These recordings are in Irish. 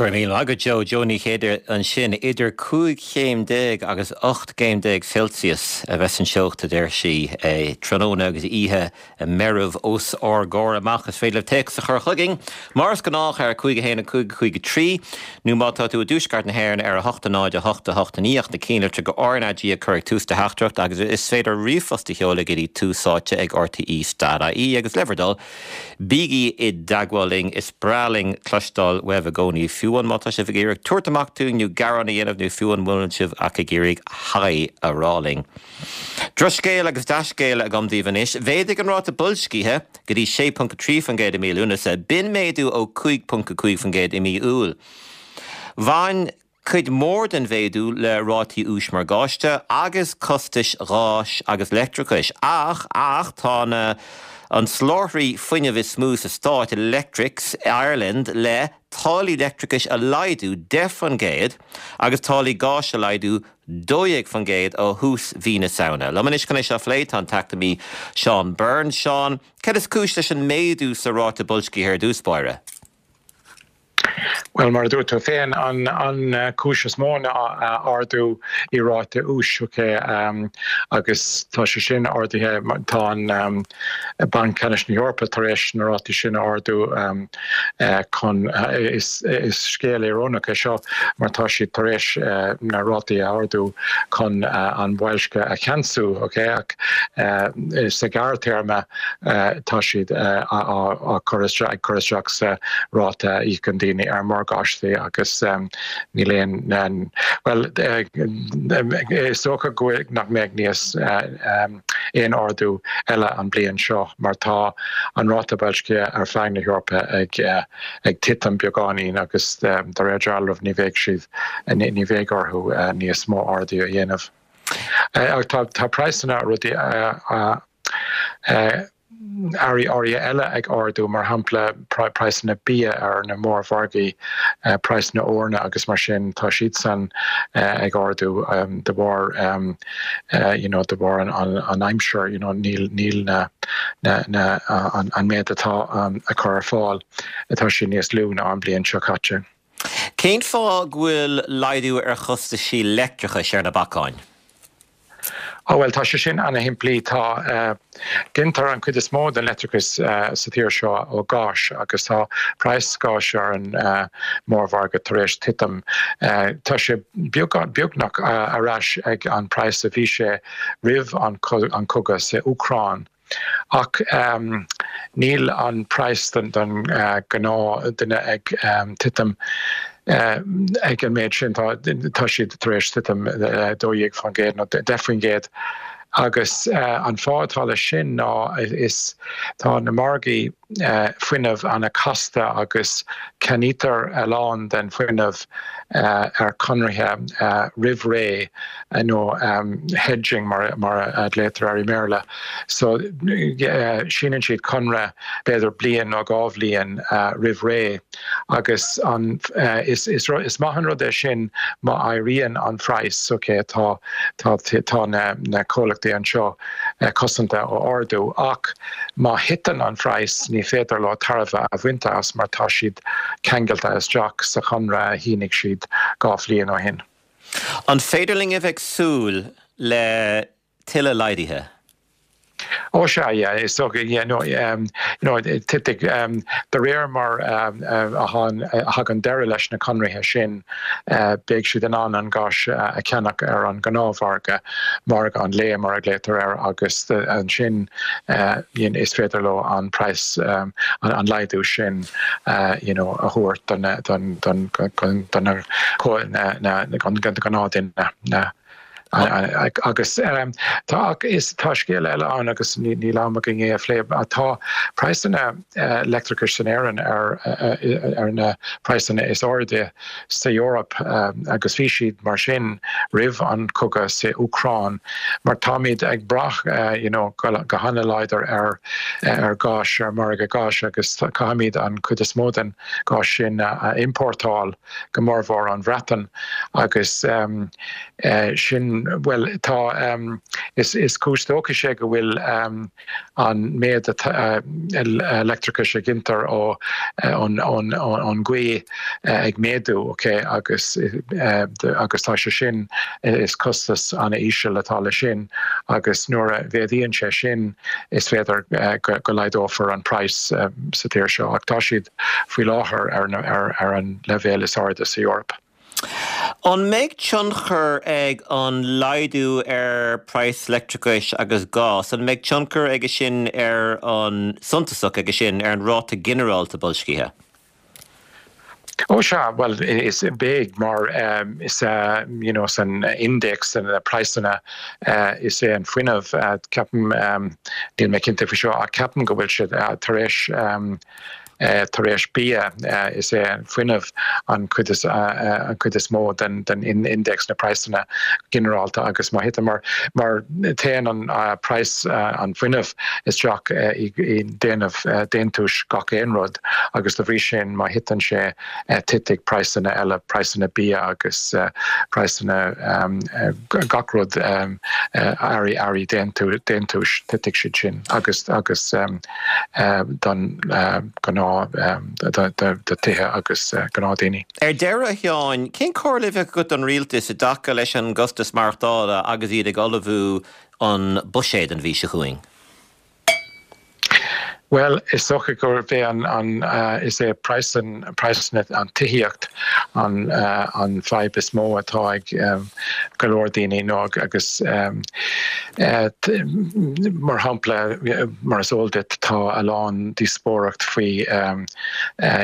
Go raibh míle maith agat Joe. Joe Ní Chéide ansin. Idir 15 chéim agus 18 gcéim Celsius a bheas an teocht a deir sí tráthnóna agus oíche meirbh os ár gcomhair amach. Is féidir libh téacs a chur chugainn mar is gnách ar 5 1 5 5 3 nó má tá tú i dtuaisceart na hÉireann ar 8 0 8 8 9 ach na cinnlitreacha RnaG a chur ag tús do theachtaireacht agus is féidir ríomhphost a sheoladh go dtí túsáite ag rte.ie agus le bhur dtoil Bígí i dteagmháil linn, is breá linn cloisteáil uaibh i gcónaí, fiú amháin má tá sibh ag iarraidh tabhairt amach dúinn nó gearán a dhéanamh nó fiú amháin muna bhfuil sibh ach ag iarraidh haigh a rá linn. Drochscéal agus dea-scéala agam daoibh anois. Mhéadaigh an ráta boilscithe go dtí 6.3% i mí Lúnasa. B'in méadú ó 5.5% i mí Iúil. Bhain cuid mhór den mhéadú le rátaí úis morgáiste agus costais gháis agus leictreachais. Ach, ach, tá na an soláthraí fuinnimh is mó sa stát, Electrix Ireland, le táillí leictreachais a laghdú 10% agus táillí gáis a laghdú 12% ó thús mhí na Samhna. Liom anois chun é seo a phlé tá an t-eacnamaí Seán Byrne. Seán, céard is cúis leis an méadú sa ráta boilscithe ar dtús báire? Bhuel, mar a dúirt tú féin, an cúis is mó ná ardú i ráta úis, ok, agus tá sé sin ardaithe, tá an Banc Ceannais na hEorpa tar éis na rátaí sin a ardú chun, is scéal íorónach é seo mar tá siad tar éis na rátaí a ardú chun an boilsciú a cheansú, ok, ach sa ghearrthéarma, tá siad á cur isteach, ag cur isteach sa ráta a íocann daoine ar morgáistí agus níl aon, bhuel, is dócha go bhfuil, nach mbeidh níos, aon ardú eile an bliain seo mar tá an ráta boilscithe ar feadh na hEorpa ag ag titim beagáinín agus de réir dealraimh ní bheidh siad, ní bheidh orthu níos mó ardú a dhéanamh. Ach tá praghsanna rudaí earraí áirithe eile ag ardú, mar shampla praghsanna bia ar na mórmhargaí, praghsanna eorna agus mar sin, tá siadsan ag ardú de bharr you know de bharr an aimsir, you know níl níl na na an méid atá á chur ar fáil, tá sé níos lú ná an bliain seo caite. Cén fáth go bhfuil laghdú ar chostaisí leictreachais ar na bacáin? Ó bhuel, tá sé sin ana-shimplí. Tá, gintear an chuid is mó den leictreachas sa tír seo ó ghás agus tá praghas gáis ar an mórmhargadh tar éis titim. Tá sé beagnach ar ais ag an praghas a bhí sé roimh an cogadh sa Úcráin. Ach níl an praghas don ghnáth-duine ag titim ag an méid sin. Tá siad tar éis titim 12% nó 10%. Agus an fáth atá leis sin ná is tá na margaí fuinnimh ana-chasta agus ceannaítear a lán den fuinneamh ar chonarthaí roimh ré nó hedging mar a ghlaotar air i mBéarla. So síneann siad conradh b'fhéidir bliain nó dhá bhliain roimh ré agus an is is maith an rud é sin má éiríonn an praghas, ok tá tá tá na comhlachtaí anseo cosanta ó ardú ach má thiteann an praghas ní féidir leo tairbhe a bhaint as mar tá siad ceangailte isteach sa chonradh a shínigh siad 2 bhliain ó shin. An féidir linn a bheith ag súil le tuilleadh laghduithe? Ó sea, yeah, is dócha, yeah, no, you know, titfidh, de réir mar a thagann deireadh leis na conarthaí sin, beidh siad in ann an gás a cheannach ar an ngnáthmhargadh, margadh an lae mar a ghlaotar air, agus ansin is féidir leo an praghas, an laghdú sin you know a thabhairt don don don don don ghnáthduine. Agus tá is tá scéal eile ann agus níl am againn é a phlé. Tá praghsanna leictreachais in Éirinn ar ar na praghsanna is airde sa Eoraip agus bhí siad mar sin roimh an cogadh sa Úcráin mar táimid ag brath you know go hana-láidir ar ar ghás, ar margadh gáis agus caithfimid an chuid is mó den ghás sin a iompórtáil go mórmhór ón Bhreatain agus sin. An, bhuel, tá, is cúis dóchais é go bhfuil an méid leictreachais a ghintear ó ón ngaoth ag méadú, ok, agus agus tá sé sin, is costas an-íseal atá leis sin agus nuair a mhéadaíonn sé sin is féidir go laghdófar an praghas sa tír seo ach tá siad faoi láthair ar an leibhéal is airde sa Eoraip. An mbeidh tionchar ag an laghdú ar praghas leictreachais agus gás, an mbeidh tionchar aige sin ar an, suntasach aige sin ar an ráta ginearálta boilscithe? Ó sea, bhuel is beidh mar is you know san index na praghsanna is é an fuinneamh, ceapaim, níl mé cinnte faoi seo ach ceapaim go bhfuil siad tar éis Tar éis bia, is é an fuinneamh an chuid is an chuid is mó den den index na praghsanna ginearálta agus má thiteann mar mar téann an praghas an fuinnimh isteach i déanamh déantúis gach aon rud agus da bhrí sin má thiteann sé titfidh praghsanna eile, praghsanna bia agus praghsanna gach rud earraí earraí déantúis titfidh siad sin agus agus don ghnáth do tithe agus gnáthdhaoine. Ar deireadh, a Sheáin, cén comhairle a bheadh agat don rialtas i dtaca leis an gcostas maireachtála agus iad ag ullmhú an buiséad an mhí seo chugainn? Bhuel, is dócha gurb é an, an, is é praghas, praghas an tithíocht an, an fadhb is mó atá ag go leor daoine nó agus mar shampla, mar is eol duit, tá a lán díospóireacht faoi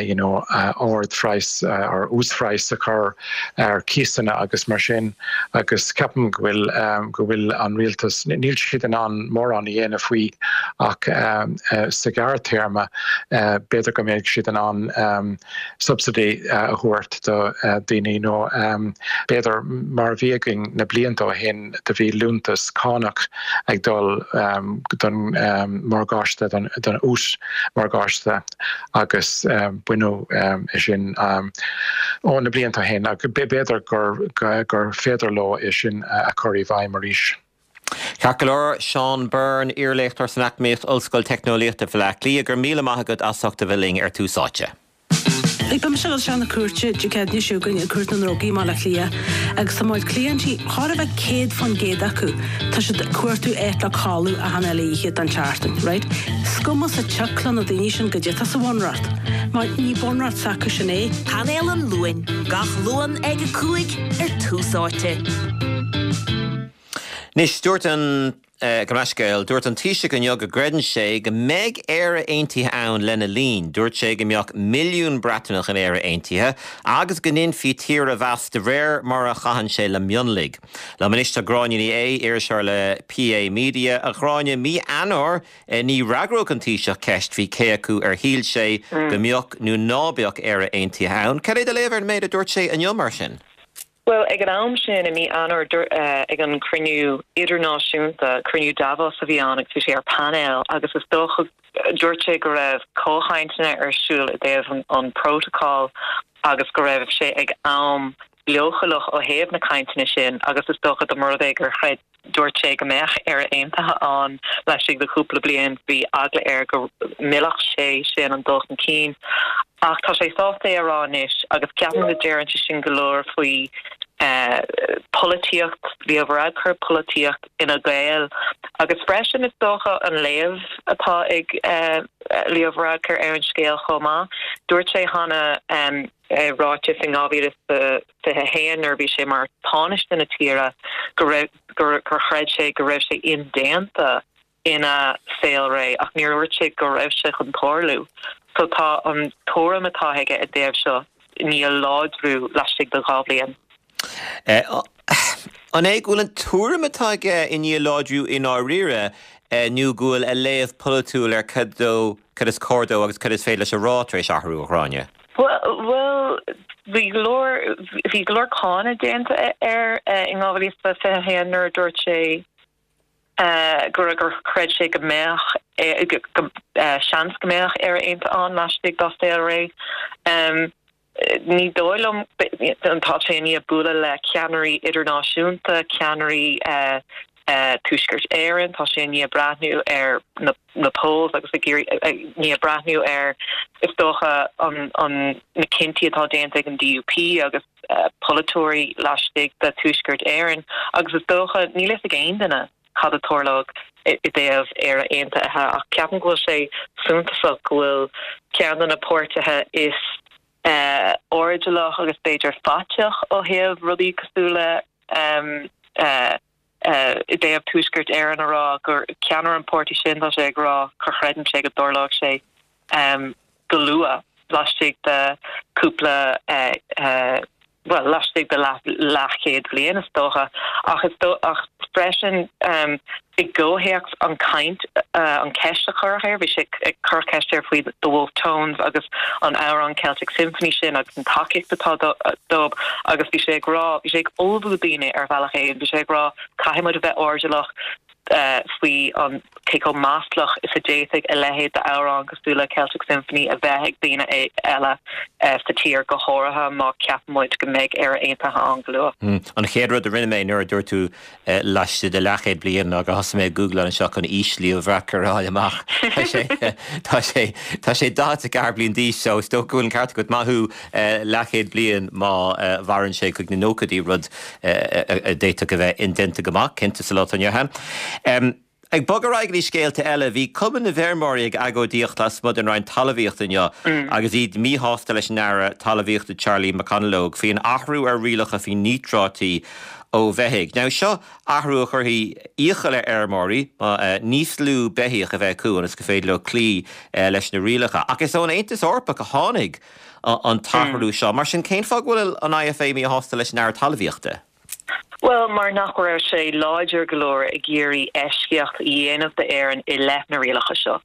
you know ardphraghas or uasphraghas a chur ar cíosanna agus mar sin agus ceapaim go bhfuil go bhfuil an rialtas, níl siad in ann mórán a dhéanamh faoi ach sa ghearrthéarma b'fhéidir go mbeidh siad in ann subsidy a thabhairt do dhaoine nó b'fhéidir mar a bhí againn na blianta ó shin do bhí liúntas cánach ag dul don morgáiste, don ús morgáiste. agus baineadh é sin ó na blianta ó shin agus b'fhéidir gur féidir leo é sin a chur i bhfeidhm arís. Ceart go leor, Seán Byrne, iarléachtóir san Eacnamaíocht, Ollscoil Teicneolaíochta Bhaile Átha Cliath, go raibh míle maith agat as ucht a bheith linn ar Tús Áite. Beidh mise ag dul isteach na cúirte Dé Céadaoine seo chugainn i gCúirt na nDrugaí i mBaile Átha Cliath agus tá mo chuid cliaintí, chóir a bheith 100% acu, tá siad ag cuartú áit le codladh achan uile oíche den tseachtain, right? Is cuma sa tsioc le na daoine sin goidé atá sa bhunreacht, mar ní bunreacht s'acu sin é. Painéal an Luain, gach Luan ag 5 ar Tús Áite. Anois, dúirt an. Gabh mo leithscéal, dúirt an Taoiseach inniu go gcreideann sé go mbeidh Éire Aontaithe ann lena linn. Dúirt sé go mbeadh milliún Breataineach in Éire Aontaithe agus go ndéanfaí tír a mheas de réir mar a chaitheann sé le mionlaigh. Liom anois tá Gráinne Ní Aodha, iriseoir le PA Media. A Ghráinne, mí Eanáir ní fhreagródh an Taoiseach ceist faoi cé acu ar shíl sé go mbeadh nó ná beadh Éire Aontaithe ann. Cad é do léamh ar an méid a dúirt sé inniu mar sin? Bhuel, ag an am sin, i mí Eanáir, ag an chruinniú idirnáisiúnta, cruinniú Davos a bhí ann agus bhí sé ar painéal agus is dócha, dúirt sé go raibh comhchainteanna ar siúl i dtaobh an prótacal agus go raibh sé ag am leochaileach ó thaobh na cainteanna sin agus is dócha dá mba rud é gur chreid Dúirt sé go mbeadh Éire Aontaithe ann laistigh de chúpla bliain. Bhí eagla air go millfeadh sé sin an dul chun cinn. Ach tá sé sásta é a rá anois agus ceapaim go ndeireann sé sin go leor faoi pholaitíocht Leo Varadkar, polaitíocht Fhine Gael agus freisin is dócha an léamh atá ag Leo Varadkar ar an scéal chomh maith. Dúirt sé cheana i ráiteas in 2021 nuair a bhí sé mar Tánaiste na tíre go raibh gur chreid sé go raibh sé indéanta ina saolré ach níor dhúirt sé go raibh sé chun tarlú. So tá an tuairim atá aige i dtaobh seo i ndiaidh láidriú laistigh de dha bhliain. An é go bhfuil an tuairim atá aige i ndiaidh láidriú i ndáiríre nó go bhfuil a léamh polaitiúil ar cad dó, cad is cóir dó agus cad is féidir leis a rá tar éis athrú, a Ghráinne? Bhuel, bhí go leor, bhí go leor cáineadh déanta air in 2021 nuair a dúirt sé gur gur chreid sé go mbeadh seans go mbeadh Éire Aontaithe ann laistigh dá saolré. Ní dóigh liom, tá sé i ndiaidh bualadh le ceannairí idirnáisiúnta, ceannairí Tuaisceart Éireann, tá sé i ndiaidh breathnú ar na polls agus ag iarraidh, i ndiaidh breathnú ar, is dócha, an na cinntí atá déanta ag an DUP agus polaiteoirí laistigh de Tuaisceart Éireann agus is dócha, níl fhios ag aon duine cad a tarlóidh i dtaobh Éire Aontaithe ach ceapaim go bhfuil sé suntasach go bhfuil ceann de na páirtithe is airdeallach agus b'fhéidir faiteach ó thaobh rudaí cosúil le i dtaobh Tuaisceart Éireann a rá gur ceannaire an pháirtí sin tá sé ag rá gur chreideann sé go dtarlóidh sé go luath, laistigh de cúpla, bhuel, laistigh de leathchéad bliain, is dócha. Ach is dó, ach freisin, i gcomhthéacs an caint, an ceist a cuireadh air, bhí sé ag cur ceist air faoi The Wolfe Tones agus an amhrán Celtic Symphony sin agus an tacaíocht atá dóibh agus bhí sé ag rá, bhí sé ag ullmhú daoine ar bhealach éigin, bhí sé ag rá caithfidh muid a bheith airdeallach, faoi an cé chomh maslach is a d'fhéadfadh a leithéid d'amhrán cosúil le Celtic Symphony a bheith ag daoine eile sa tír, go háirithe má ceapann muid go mbeidh Éire Aontaithe ann go luath. An chéad rud a rinne mé nuair a dúirt tú laistigh de leathchéad bliain ná gur thosaigh mé ag googláil anseo chun aois Leo Varadkar a fháil amach. Tá sé tá sé tá sé 44 bliain d'aois so is dócha go bhfuil an ceart agat, maith thú, leathchéad bliain má mhaireann sé chuig na nóchaidí, rud a d'fhéadfadh a bheith indéanta go maith, cinnte, sa lá atá inniu ann. Ag bogadh ar aghaidh go dtí scéalta eile, bhí Cumann na bhFeirmeoirí ag agóidíocht lasmuigh den Roinn Talmhaíochta inniu agus iad míshásta leis an Aire Talmhaíochta Charlie McConalogue faoin athrú ar rialacha faoi níotráití ó bheithígh. Now seo athrú a chuirfidh iachall ar fheirmeoirí níos lú beithíoch a bheith acu ionas gur féidir leo cloí leis na rialacha. Ach is ón Aontas Eorpach a tháinig an t-athrú seo. Mar sin, cén fáth go bhfuil an IFA míshásta leis an Aire Talmhaíochta? Bhuel, mar nach raibh sé láidir go leor ag iarraidh eisceacht a dhéanamh d'Éirinn i leith na rialacha seo,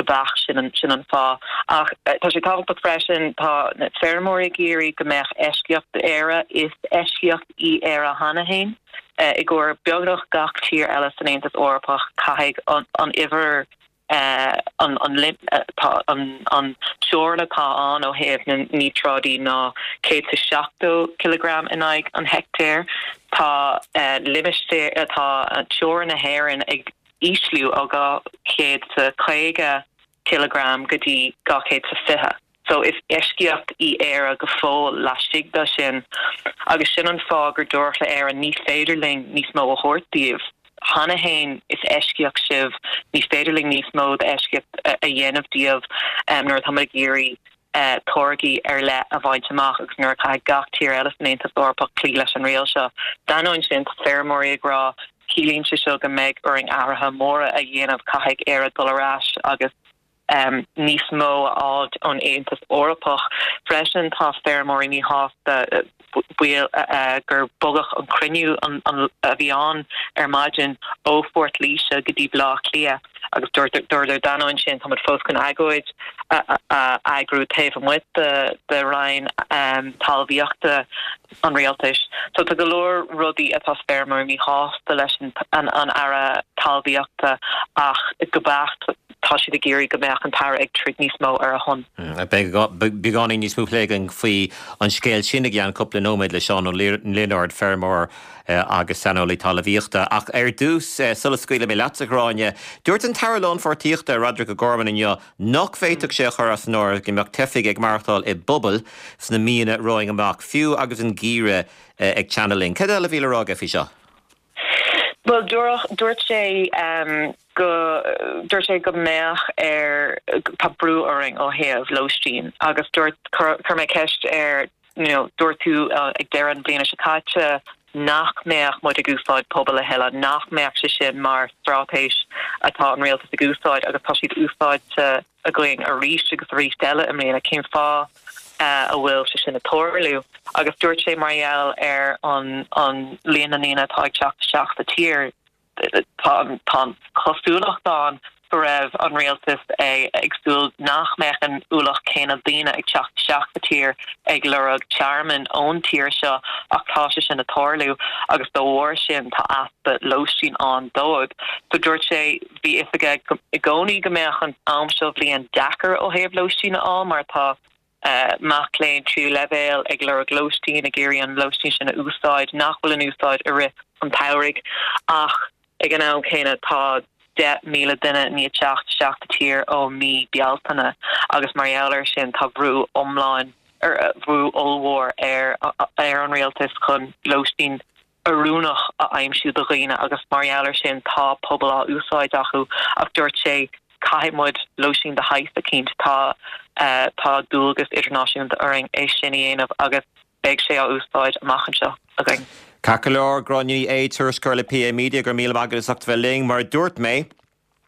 go beacht, sin an, sin an fáth. Ach tá sé tábhachtach freisin, tá na feirmeoirí ag iarraidh go mbeadh eisceacht d'Éire, is eisceacht í Éire cheana féin. I gcomhair beagnach gach tír eile san Aontas Eorpach, caithfidh an, an uimhir an teorainn atá ann ó thaobh na níotráidí ná 170 cileagram in aghaidh an heicteáir. Tá limistéar, tá teorainn na hÉireann ag ísliú ó 250 cileagram go dtí 220. So is eisceacht í Éire go fóill laistigh de sin agus sin an fáth gur dúradh le Éirinn ní féidir linn níos mó a thabhairt daoibh. Cheana féin is eisceacht sibh, ní féidir linn níos mó d'eisceacht a dhéanamh daoibh nuair atá muid ag iarraidh táirgí ar leith a bhaint amach agus nuair a chaithfidh gach tír eile san Aontas Eorpach cloí leis an riail seo. D'ainneoin sin, tá feirmeoirí ag rá, ciallaíonn sé seo go mbeidh orainn athruithe móra a dhéanamh, caithfidh Éire dul ar ais agus. níos mó a fháilt ón Aontas Eorpach. Freisin, tá feirmeoirí míshásta baol gur bogadh an cruinniú a bhí ann ar maidin ó Phort Laoise go dtí Baile Átha Cliath agus dúradar d'ainneoin sin tá muid fós chun agóid a eagrú taobh amuigh de Roinn Talmhaíochta an Rialtais. So tá go leor rudaí atá feirmeoirí míshásta leis an Aire Talmhaíochta ach go beacht tá siad ag iarraidh go mbeadh an tAire ag troid níos mó ar a shon. Beidh beagáinín níos mó plé againn faoi an scéal sin i gceann cúpla nóiméad le Seán Ó Lionáird, feirmeoir agus saineolaí talmhaíochta. Ach ar dtús, sula scaoilfidh mé leatsa, a Ghráinne, dúirt an tAire Lánpháirtíochta, Roderic O'Gorman inniu nach bhféadfadh sé a chur as an áireamh go mbeadh teifigh ag maireachtáil i bpubaill sna míonna romhainn amach, fiú agus an geimhreadh ag teannadh linn. Cad eile a bhí le rá aige faoi seo? Bhuel, dúirt sé go, dúirt sé go mbeadh ar, tá brú orainn ó thaobh lóistín agus dúirt, chuir mé ceist air, you know, dúirt tú ag deireadh an bhliana seo caite nach mbeadh muid ag úsáid pubaill a thuilleadh, nach mbeadh sé sin mar straitéis atá an rialtas ag úsáid agus tá siad úsáidte againn arís agus arís eile i mbliana, cén fáth a bhfuil sé sin ag tarlú? Agus dúirt sé mar gheall ar an an líon na ndaoine atá ag teacht isteach sa tír, tá an chosúlacht ann go raibh an rialtas ag súil nach mbeadh an ualach céanna daoine ag teacht isteach sa tír ag lorg tearmainn ón tír seo ach tá sé sin ag tarlú agus dá bharr sin tá easpa lóistín ann dóibh. So dúirt sé Bhí fhios aige i gcónaí go mbeadh an am seo bhliain deacair ó thaobh lóistín a fháil mar tá. Mac léinn tríú leibhéal ag lorg lóistín, ag iarraidh an lóistín sin a úsáid, nach bhfuil in úsáid i rith an tsamhraidh. Ach ag an am céanna tá 10,000 duine i ndiaidh teacht isteach sa tír ó mí Bealtaine agus mar gheall air sin tá brú iomlán, brú ollmhór ar ar an rialtas chun lóistín oiriúnach a aimsiú do dhaoine agus mar gheall air sin tá pubaill á úsáid acu ach dúirt sé caithfidh muid lóistín de shaghas eicínt, tá tá dualgas idirnáisiúnta orainn é sin a dhéanamh agus beidh sé á úsáid amach anseo againn. Ceart go leor, Gráinne Ní Aodha, tuairisceoir le PA Media, go raibh míle maith agat as ucht a bheith linn. Mar a dúirt mé,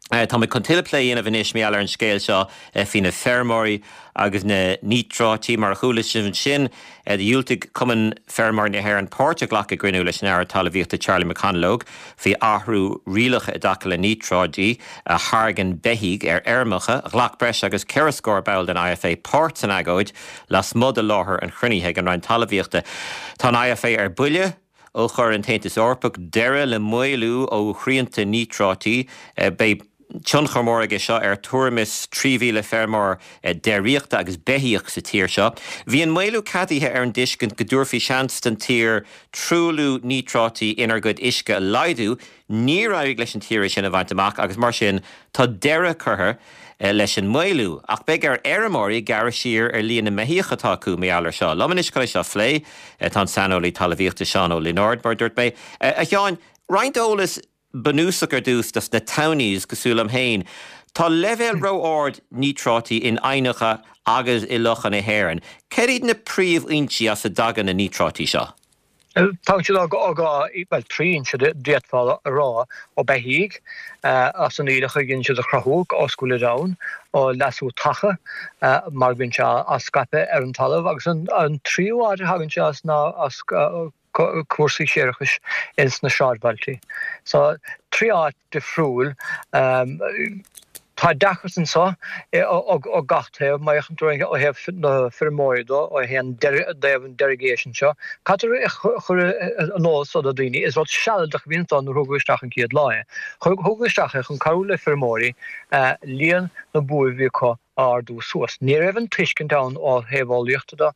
Tá muid chun tuilleadh plé a dhéanamh anois mar gheall ar an scéal seo faoi na feirmeoirí agus na níotráití. Mar a chuala sibh ansin, dhiúltaigh Cumann Feirmeoirí na hÉireann páirt a ghlacadh i gcruinniú leis an Aire Talmhaíochta Charlie McConalogue faoi athrú rialacha i dtaca le níotráidí a tháirgeann beithígh ar fheirmeacha. Ghlac breis agus ceithre scór ball den IFA páirt san agóid lasmuigh de láthair an chruinnithe ag an Roinn Talmhaíochta. Tá an IFA ar buile. Ó chuir an tAontas Eorpach deireadh le maolú ó shrianta níotráití, beidh tionchar mór aige seo ar tuairim is 3,000 feirmeoir déiríochta agus beithíoch sa tír seo. Bhí an maolú ceadaithe ar an dtuiscint go dtabharfaí seans don tír truailliú níotráití inár gcuid uisce a laghdú. Níor éirigh leis an tír é sin a bhaint amach agus mar sin tá deireadh curtha leis an maolú. Ach beidh ar fheirmeoirí gearradh siar ar líon na mbeithíoch atá acu mar gheall air seo. Liom anois chun é seo a phlé tá an saineolaí talmhaíochta Seán Ó Lionáird, mar a dúirt mé. A Sheáin, roinnt eolas bunúsach ar dtús dos na townies cosúil liom féin. Tá leibhéal ró-ard níotráití in aibhneacha agus i lochanna na hÉireann. Céard iad na príomhfhoinsí as a dtagann na níotráití seo? Tagann siad ó dhá, bhuel, trí fhoinse d'fhéadfá a rá, ó beithígh, as an aoileach a dhéanann siad a chruthú ós go bhfuilid ann, ó leasú taca mar go mbíonn sé á scaipeadh ar an talamh, agus an tríú áit a thagann sé as ná as cúrsaí séarachais ins na sráidbhailtí. So, trí áit. difriúil. Tá deacracht anseo ó gach taobh, má fhéachann tú ó thaobh na feirmeoirí de, ó thaobh an derogation seo. Caithfear a chur in eolas do dhaoine, is rud sealadach a bhí anseo nuair a thugadh isteach an chéad lá é. Thugadh isteach é chun cabhrú le feirmeoirí líon na bó a bhí acu a ardú suas. Ní raibh an tuiscint ann ó thaobh eolaíochta de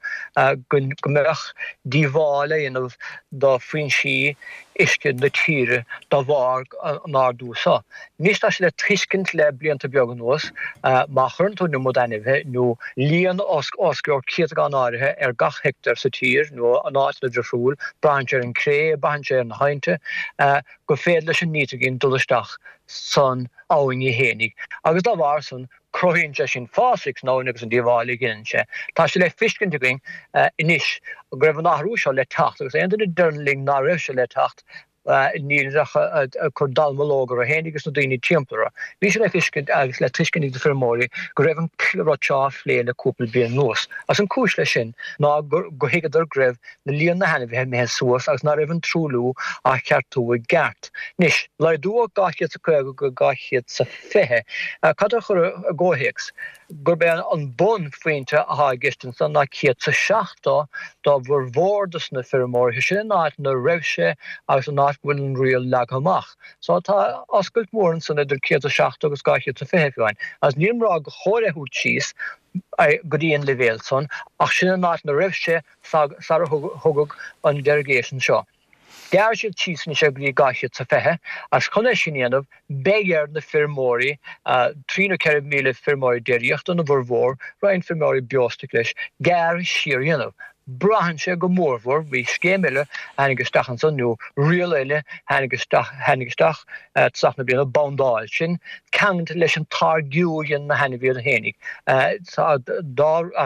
go mbeadh díobháil á dhéanamh do foinsí uisce na tíre de bharr an ardú seo. Anois tá sé le tuiscint le blianta beaga anuas má chuireann tú an iomad ainmhithe nó líon os cionn céatadán áirithe ar gach heicteár sa tír nó in áiteanna difriúil, braitheann sé ar an cré, braitheann sé ar na haibhnte, gur féidir leis an nítrigin dul isteach san abhainn í fhéinig agus dá bharr san cruthaíonn sé sin fásaigh san abhainn agus an díobháil a dhéanann sé. Tá sé le feiscint againn anois go raibh an athrú seo le teacht agus aon duine a deireann linn ná raibh sé le teacht níl ach ag cur dallamullóg orthu féin agus na daoine timpeall orthu. Bhí sé le feiscint agus le tuiscint ag na feirmeoirí go raibh an rud seo á phlé le cúpla bliain anuas agus an cúis leis sin ná gur thuigeadar go raibh na líon na hainmhithe imithe suas agus ná raibh an truailliú á cheartú i gceart. Anois, laghdú ó 250 go 220, cad a chur i gcomhthéacs, gurb é an bunphointe atá i gceist ansan ná 170 do bhformhór dos na feirmeoirí, sin an áit ina raibh sé agus an áit go bhfuil an riail leagtha amach. So tá oscailt mhór ansan idir 170 agus 220 fiú amháin. Agus nílim ag rá gur chóir é a thabhairt síos go dtí an leibhéal san ach sin an áit ina raibh sé sara thugadh an derogation seo. Ghearr siad síos anois é go dtí 220 agus chun é sin a dhéanamh beidh ar na feirmeoirí, 3 nó 4,000 feirmeoirí déiríochta ina bhformhór, roinnt feirmeoirí beostoic leis, gearradh siar a dhéanamh. Braitheann sé go mórmhór, bhí scéim eile a tháinig isteach ansan nó riail eile a tháinig isteach, tháinig isteach tosach na bliana, bandáil, sin ceangailte leis an táirgiú a dhéanann na hainmhithe fhéinig. Tá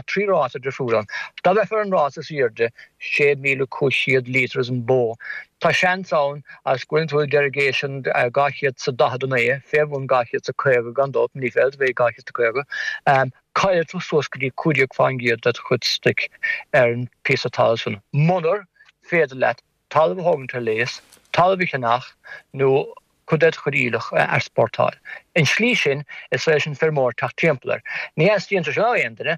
3 ráta difriúil ann. Dá mbeifeá ar an ráta is airde, 6,500 lítear an bó, tá seans ann agus go bhfuileann tú ag derogation 249, fé bhun 250 gan dabht, ní féidir a bheith 250, caillfidh tú suas go dtí 15% de do chuid stoic ar an phíosa talaimh san, munar féidir leat talamh a thógaint ar léas, talamh a cheannach nó cuid de do chuid aoileach a easpórtáil. An tslí sin, is féidir leis an feirmeoir teacht timpeall air. Ní theastaíonn sé sin ó aon duine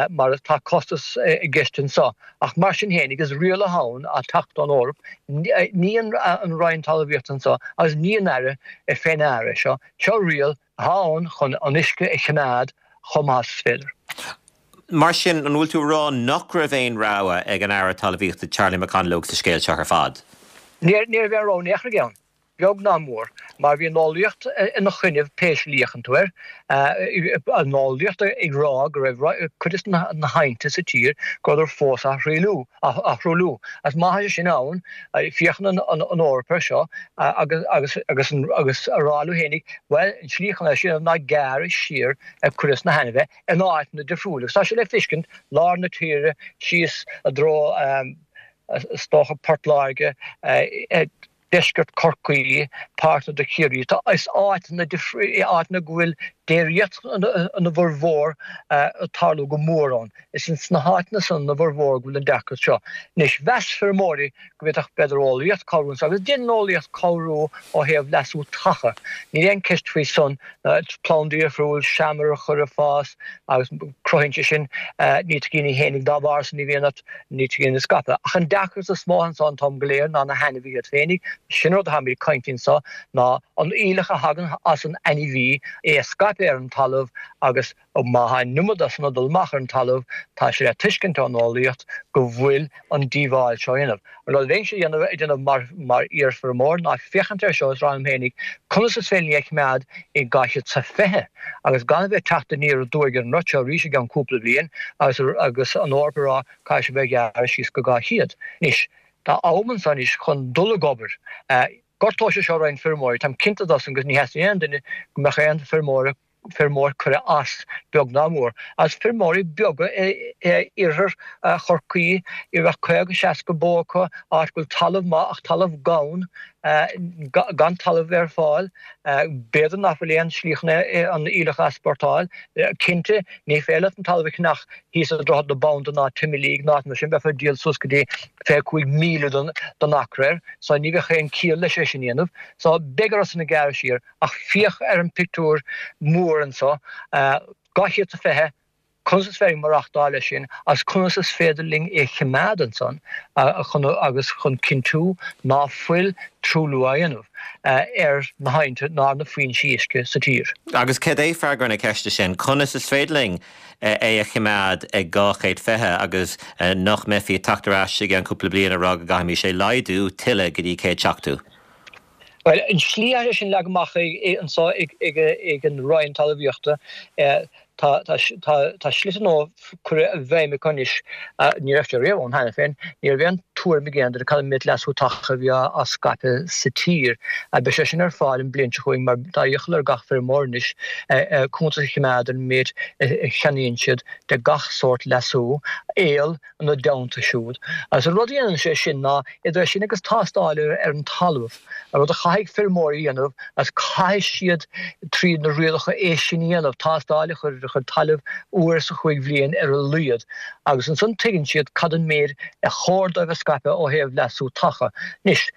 mar tá costas i gceist anseo, ach mar sin féin, is riail atá ann ag teacht ón Eoraip, ní an Roinn Talmhaíochta anseo agus ní an Aire fé ndeara é seo, seo riail atá ann chun an uisce a choimeád chomh maith is féidir. Mar sin, an bhfuil tú ag rá nach raibh aon rogha ag an Aire Talmhaíochta Charlie McConalogue sa scéal seo ar fad? Ní raibh aon rogha in aon chor aige ann, beag ná mór, mar bhí an eolaíocht ina choinnibh pé slí a fhéachann tú air, an eolaíocht ag rá go raibh cuid de na haibhnte sa tír go rabhadar fós á thruailliú, á thruailliú. Agus má tá sé sin ann, féachann an Eoraip air seo agus agus agus agus a rá leo fhéinig, bhuel, an tslí chun é sin ná gearradh siar ar cuid de na hainmhithe in áiteanna difriúla. Agus tá sé le feiscint, lár na tíre, síos i dtreo, is dócha, Port Láirge, deisceart Chorcaí, páirteanna de Chiarraí. Tá, is áiteanna difriúla, áiteanna go bhfuil déiríocht ina bhformhór ag tarlú go mór ann. Is ins na háiteanna san ina bhformhór go bhfuil an deacracht seo. Anois, mheas feirmeoirí go bhféadfadh b'fhéidir eolaíocht cabhrú anso, agus déanann eolaíocht cabhrú ó thaobh leasú taca. Níl aon ceist faoi san, plandaí difriúil, seamair a chur ag fás agus cruthaíonn sé sin nítrigíní fhéinig, dá bharr san ní bhíonn ort nítrigín ag scaipeadh. Ach an deacracht is mó anso an t-am go léir ná na hainmhithe iad féinig, sin rud atáimid ag caint anso, ná an aoileach a thagann as an ainmhí, é a scaipeadh ar an talamh agus Má tá an iomad de san ag dul amach ar an talamh, tá sé le tuiscint ón eolaíocht go bhfuil an díobháil seo á dhéanamh. An rud a bheinnse a dhéanamh ag déanamh mar mar iarfheirmeoir ná féachaint air seo is rá liom féinig conas is féidir linn é a choimeád i 220 agus gan a bheith ag teacht aniar aduaidh ar an rud seo arís i gceann cúpla bliain agus agus an Eoraip ag rá caithfidh sibh é a ghearradh síos go 200. Anois, tá am anso anois chun dul ag obair. Gortóidh sé seo roinnt feirmeoirí, táim cinnte de san agus ní theastaíonn aon duine go mbeadh aon feirmeoir feirmeoir curtha as, beag ná mór. Agus feirmeoirí beaga i iarthar Chorcaí, a bheadh 50, 60 bó acu, áit go bhfuil talamh maith ach talamh gann, gan talamh ar fáil, b'fhéidir nach bhfuil aon slí chun an aoileach a easpórtáil. Cinnte, ní féidir leat an talamh a cheannach thíos i Droichead na Banda ná Timoleague ná áit mar sin, bheifeá ag díol suas go dtí 25,000 don acra air, so ní bheadh aon ciall leis é sin a dhéanamh. So beidh orthu san gearradh siar. Ach féach ar an pictiúr mór anso, 220, conas is féidir maireachtáil leis sin agus conas is féidir linn é choimeád ansan chun agus chun cinntiú ná fuil truailliú á dhéanamh ar na haibhnte ná ar na foinsí uisce sa tír. Agus cad é freagra na ceiste sin? Conas is féidir linn é a choimeád ag 220 agus nach mbeifí ag teacht ar ais i gceann cúpla bliain ag rá go gcaithfimis é laghdú tuilleadh go dtí 170? Bhuel, an tslí atá sé sin leagtha amach anseo ag an Roinn Talmhaíochta, tá slite nua curtha i bhfeidhm acu anois, ní raibh sé riamh ann cheana féin, ní raibh aon tuairim ag aon duine cad an méid leasú taca a bhí á scaipeadh sa tír. Beidh sé sin ar fáil an bhliain seo chugainn mar tá iachall ar gach feirmeoir anois cuntas a choimeád ar an méid a cheannaíonn siad de gach sórt leasú, aol, ina dteannta siúd. Agus an rud a dhéanann sé sin ná, idir é sin agus tástáil ar an talamh, an rud a chaithfidh feirmeoirí a dhéanamh, agus caithfidh siad tríd na rialacha é sin a dhéanamh, tástáil a chur ar a chuid talaimh uair sa chúig bhliain ar a laghad, agus ansan tuigeann siad cad an méid a chóir dóibh a scaipeadh ó thaobh leasú taca. Anois.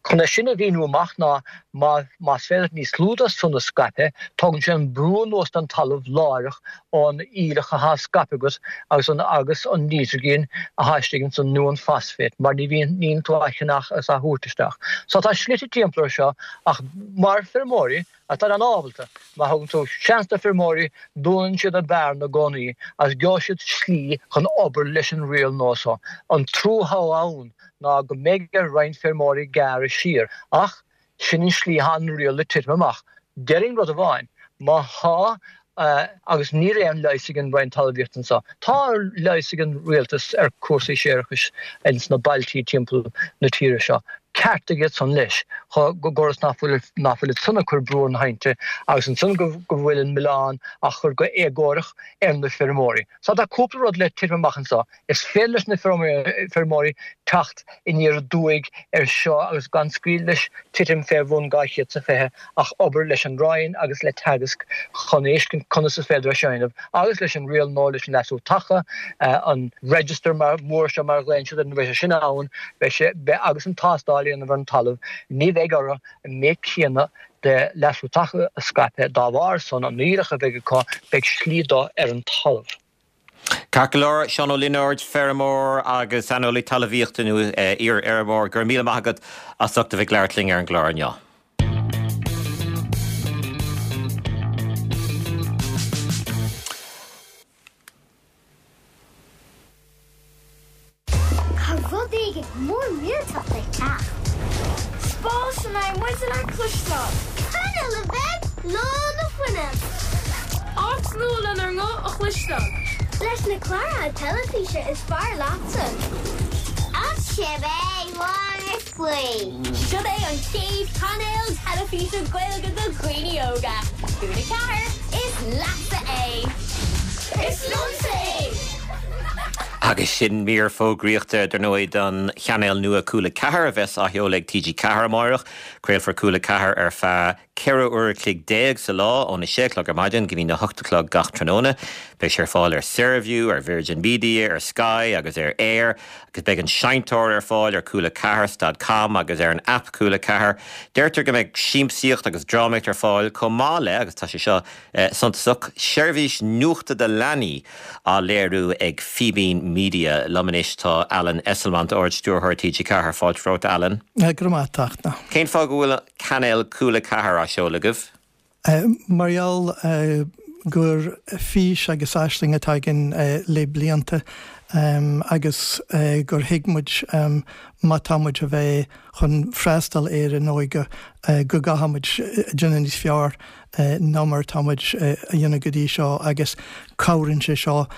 Chun é sin a mhíniú amach ná má más féidir leat níos lú de san a scaipeadh, tógann sé an brú anuas den talamh láithreach ón aoileach athá scaipthe agat agus an agus an nítrigin athá istigh ansan nó an phosphate mar ní bhíonn níonn tú á cheannach agus á thabhairt isteach. So tá slite timpeall ar seo ach mar feirmeoirí atá an-ábalta, má thugann tú seans do feirmeoirí dúnann siad an bearna i gcónaí agus gheobhaidh siad slí chun obair leis an riail nua so. An trua athá ann ná go mbeidh ar roinnt feirmeoirí gearradh siar, ach sin an slí atá an riail le titim amach. Déarfainn rud amháin, má thá, agus níl aon leigheas ag an Roinn Talmhaíochta anseo, tá leigheas ag an rialtas ar cúrsaí séarachais ins na bailtí timpeall na tíre seo, ceartaigh iad san leis, go gcuireas ná fuil ná fuil iad san ag cur brú ar na haibhnte agus ansan go bhfuil an milleán á chur go éagórach ar na feirmeoirí. So tá cúpla rud le titim amach anseo. Is féidir leis na feirmeoirí teacht aniar aduaidh air seo agus gan scaoileadh leis titim fé bhun 220 ach obair leis an Roinn agus le Teagasc chun fheiscint conas is féidir é seo a dhéanamh agus leis an riail nua leis an leasú taca, an register mór seo mar a ghlaonn siad air nuair a bheidh sé sin ann, beidh sé, agus an tástáil a dhéanamh ar an talamh, ní bheidh orthu an méid céanna de leasú taca a scaipeadh dá bharr san, an aoileach a bheidh acu, beidh slí dó ar an talamh. Ceart go leor, Seán Ó Lionáird, feirmeoir agus saineolaí talmhaíochta nó iar-fheirmeoir, go raibh míle maith agat as ucht a bheith ag labhairt linn ar an gclár inniu. éigin mór millteach le teacht. Spás a mbeidh muid in ann cloisteáil. Cainéal a bheidh lán le fuinneamh. Áit nua lenár nguth a chloisteáil. Leis na cláracha teilifíse is fearr leatsa. Ach cibé mar faoi. Seo é an chéad chainéal teilifíse Gaeilge do dhaoine óga. Cúla 4, is leatsa é! Is liomsa é! Agus sin mír fógraíochta, dar ndóigh, don chainéal nua Cúla 4 a bheas á sheoladh ag TG4 amáireach. Craolfar Cúla 4 ar feadh 14 uair a chloig sa lá, óna sé a chlog ar maidin go dtína hocht a chlog gach tráthnóna. Beidh sé ar fáil ar Saorview, ar Virgin Media, ar Sky agus ar Eir, agus beidh an seinnteoir ar fáil ar Cúla 4 stad com agus ar an aip Cúla 4. Deirtear go mbeidh siamsaíocht agus drámaíocht ar fáil chomh maith le, agus tá sé seo suntasach, seirbhís nuachta do leanaí á léiriú ag Fíbín Media. Liom anois tá Alan Esslemont, Ard-Stiúrthóir TG4. Fáilte romhat, Alan. Go raibh maith agat, a Fhachtna. Cén fáth go bhfuil cainéal Cúla 4 á seoladh agaibh? Mar gheall gur fís agus aisling atá againn le blianta agus gur thuig muid má tá muid a bheith chun freastal ar an óige go gcaithfidh muid déanamh níos fearr ná mar atá muid a dhéanamh go dtí seo agus cabhraíonn sé seo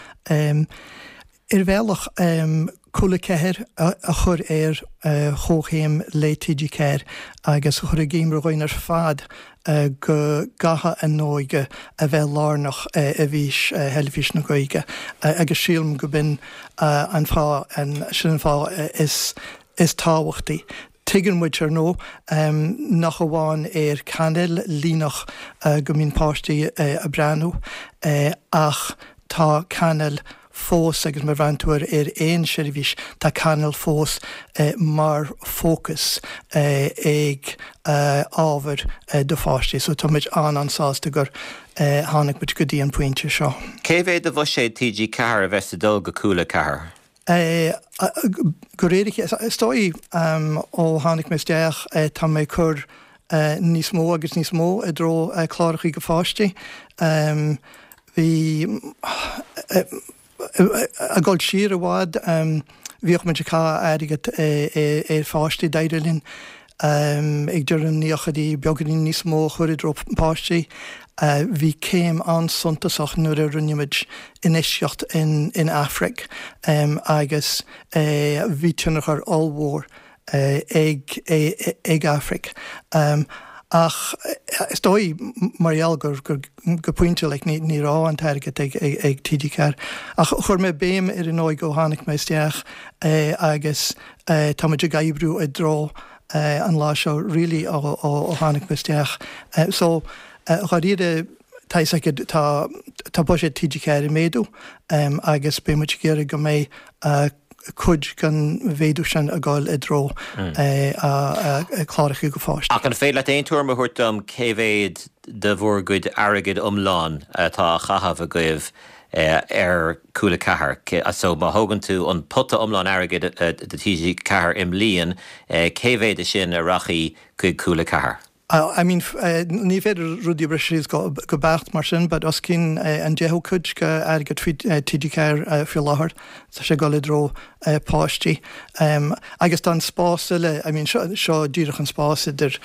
Ar bhealach, Cúla 4 a chur ar chomhchéim le TG4 agus a chur i gcuimhne dhúinn ar fad go gcaithfidh an óige a bheith lárnach i bhfís Theilifís na Gaeilge agus sílim go b'in an fáth, sin an fáth is tábhachtaí. Tuigeann muid, ar ndóigh, nach amháin ar cainéal líneach go mbíonn páistí ag breathnú ach tá cainéal fós agus má bhreathnaíonn tú ar aon seirbhís tá cainéal fós mar fócas ag ábhair do pháistí. So tá muid an-an-sásta gur tháinig muid go dtí an pointe seo. Cé mhéad de bhuiséad TG4 a bheas ag dul go Cúla 4? De réir a chéile, is dóigh ó tháinig mé isteach tá mé ag cur níos mó agus níos mó i dtreo clárachaí do pháistí. Bhí, ag dul siar i bhfad, bhíodh muid ag caitheamh airgead ar pháistí, d'éirigh linn ag deireadh na naochaidí beagáinín níos mó a chur i dtreo páistí. Bhí céim an-suntasach nuair a rinne muid infheistíocht in Aifric agus bhí tionchar ollmhór ag ag Aifric. Ach is dóigh, mar gheall gur go pointe like ní ní raibh an t-airgead ag ag TG4. Ach chuir mé béim ar an óige ó tháinig mé isteach agus tá muid ag oibriú i dtreo an lá seo really ó ó tháinig mé isteach. So dháiríre tá fhios agat tá tá buiséad TG4 ag méadú agus beidh muid ag iarraidh go mbeidh cuid den mhéadú sin ag dul i dtreo cláracha do pháistí. Ach an féidir leat aon tuairim a thabhairt dom cé mhéad de bhur gcuid airgid iomlán atá á chaitheamh agaibh ar Cúla 4? So má thógann tú an pota iomlán airgid do TG4 i mbliain, cé mhéad de sin a rachaidh chuig Cúla 4? I mean, ní féidir rudaí a bhriseadh síos go beacht mar sin, but os cionn an deichiú cuid de airgead faoi TG4 faoi láthair, tá sé ag dul i dtreo páistí. Agus tá an spás eile, I mean, seo, seo díreach an spás idir,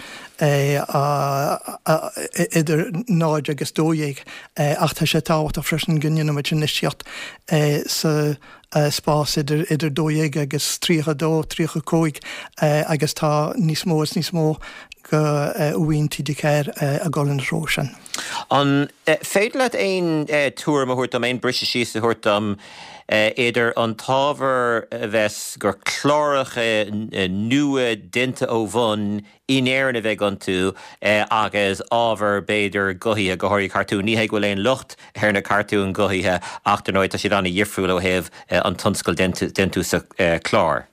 idir 0 agus 12, ach tá sé tábhachtach freisin go ndéanfaimid infheistíocht sa spás idir idir 12 agus 32, 35 agus tá níos mó is níos mó de mhaoin TG4 ag dul ina threo sin. An féidir leat aon tuairim a thabhairt dom, aon briseadh síos a thabhairt dom idir an t-ábhar a bheas gur cláracha nua déanta ó bhun in Éirinn a bheidh iontu agus ábhar, b'fhéidir, guthaithe, go háirithe cartúin. Ní hé go bhfuil aon locht ar na cartúin ghuthaithe ach, dar ndóigh, tá siad an-dhifriúil ó thaobh an tionscal déantús clár.